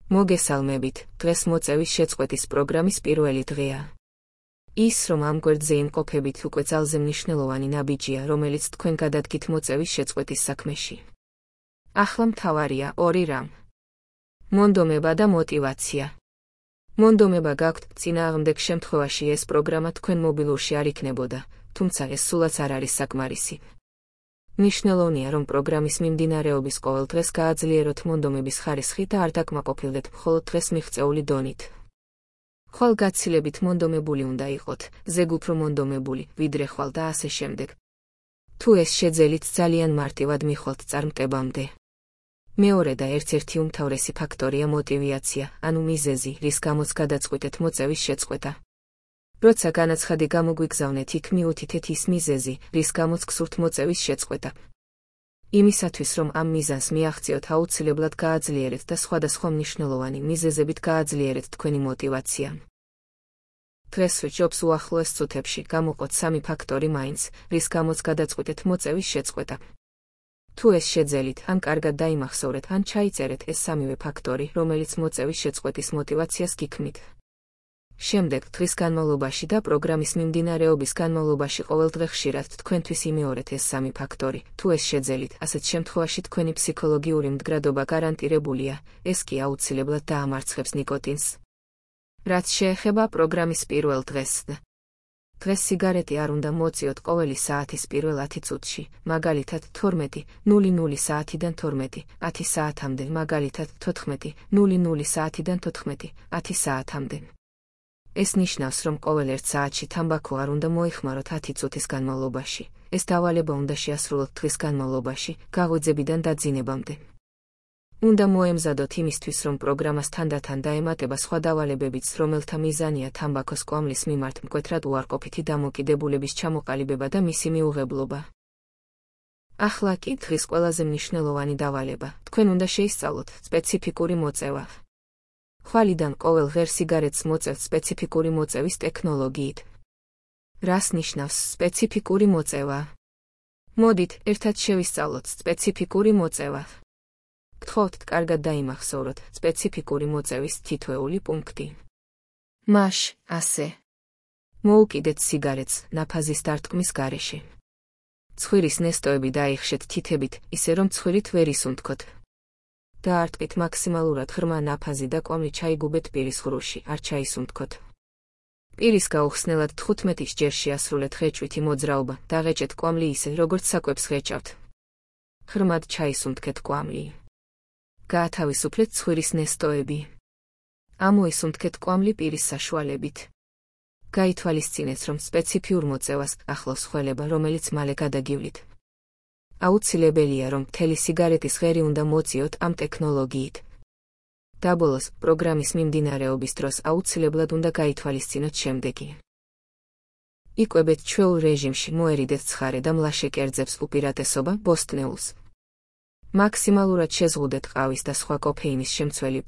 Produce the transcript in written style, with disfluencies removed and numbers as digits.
მოგესალმებით, დღეს მოწევის შეწყვეტის პროგრამის პირველი დღეა. ის, რომ ამ გვერდზე იმყოფებით უკვე ძალზე მნიშვნელოვანი ნაბიჯია, რომელიც თქვენ გადადგით მოწევის შეწყვეტის საქმეში. ახლა მთავარია ორი რამ. მონდომება და мотивация. მონდომება გაქვთ, წინააღმდეგ შემთხვევაში ეს პროგრამა თქვენ მობილურში არ იქნებოდა, თუმცა ეს სულაც არ არის საკმარისი. მნიშვნელოვანია, რომ პროგრამის მიმდინარეობის ყოველ დღეს გააძლიეროთ მონდომების ხარისხი და არ დაკმაყოფილდეთ მხოლოდ დღეს მიღწეული დონით. ხვალგაცილებით მონდომებული უნდა იყოთ, ზეგ უფრო მონდომებული, ვიდრე ხვალ და ასე შემდეგ. თუ ეს შეძელით ძალიან მარტივად მიხვალთ წარმტებამდე. მეორე და ერთ-ერთი უმთავრესი ფაქტორია мотивация, ანუ მიზეზი, რის გამოც გადაწყვიტეთ მოწევის შეწყვეტა. როცა განაცხადი გამოგვიგზავნეთ, იქ მიუთითეთ ის მიზეზი, რის გამოც გსურთ მოწევის შეწყვეტა. იმისათვის, რომ ამ მიზანს მიაღწიოთ, აუცილებლად გააძლიერეთ და სხვადასხვა მნიშვნელოვანი მიზეზებით გააძლიერეთ თქვენი мотивация. დღეს ვიჯობს უახლოეს წუთებში გამოყოთ სამი ფაქტორი მაინც, რის გამოც გადაწყვიტეთ მოწევის შეწყვეტა. თუ ეს შეძელით, ან კარგად დაიმახსოვრეთ, ან ჩაიწერეთ ეს სამივე ფაქტორი, რომელიც მოწევის შეწყვეტის мотивაციას გიქმნით. შემდეგ დღის განმავლობაში და პროგრამის მიმდინარეობის განმავლობაში ყოველდღე ხშირად თქვენთვის იმეორეთ ეს სამი ფაქტორი. თუ ეს შეძელით, ასეთ შემთხვევაში თქვენი ფსიქოლოგიური მდგრადობა გარანტირებულია, ეს კი აუცილებლად დაამარცხებს ნიკოტინს. რაც შეეხება პროგრამის პირველ დღეს. დღეს სიგარეტი არ უნდა მოწიოთ ყოველი საათის პირველ 10 წუთში, მაგალითად 12:00 საათიდან 12:10 საათამდე, მაგალითად 14:00 საათიდან 14:10 საათამდე. ეს ნიშნავს, რომ ყოველ 1 საათში თამბაქო არ უნდა მოიხმაროთ 10 წუთის განმავლობაში. ეს დავალება უნდა შეასრულოთ დღის განმავლობაში, გაღვიძებიდან დაძინებამდე. უნდა მოემზადოთ იმისთვის, რომ პროგრამას თანდათან დაემატება სხვა დავალებებიც, რომელთა მიზანია თამბაქოს კვამლის მიმართ მკვეთრად უარყოფითი დამოკიდებულების ჩამოყალიბება და მისი მიუღებლობა. ახლა კი დღის ყველაზე მნიშვნელოვანი დავალება. თქვენ უნდა შეისწავლოთ სპეციფიკური მოწევა. ხვალიდან ყოველ ღერ სიგარეტს მოწევთ სპეციფიკური მოწევის ტექნოლოგიით. რას ნიშნავს სპეციფიკური მოწევა? მოდით, ერთად შევისწავლოთ სპეციფიკური მოწევა. გთხოვთ, კარგად დაიმახსოვროთ სპეციფიკური მოწევის თითოეული პუნქტი. მაშ, ასე. მოუკიდეთ სიგარეტს ნაფაზის დარტყმის გარეშე. ცხვირის ნესტოები დაიხშეთ თითებით, ისე რომ ცხვირით ვერ ისუნთქოთ. დაარტყით მაქსიმალურად ღრმა ნაფაზი და კვამლი ჩაიგუბეთ პირის ღრუში, არ ჩაისუნთქოთ. პირის გაუხსნელად 15 ჯერ შეასრულეთ ღეჭვითი მოძრაობა, დაღეჭეთ კვამლი ისე, როგორც საკვებს ღეჭავთ. ღრმად ჩაისუნთქეთ კვამლი. გაათავისუფლეთ ცხვირის ნესტოები. ამოისუნთქეთ კვამლი პირის საშუალებით. გაითვალისწინეთ, რომ სპეციფიურ მოწევას ახლავს ხველება, რომელიც მალე გადაგივლით. აუცილებელია, რომ მთელი სიგარეტის ღერი უნდა მოწიოთ ამ ტექნოლოგიით. დაბოლოს, პროგრამის მიმდინარეობის დროს აუცილებლად უნდა გაითვალისწინოთ შემდეგი. იკვებეთ ჩვეულ რეჟიმში, მოერიდეთ ცხარე და მლაშე კერძებს, უპირატესობა ბოსტნეულს. მაქსიმალურად შეზღუდეთ ყავის და სხვა კოფეინის შემცველი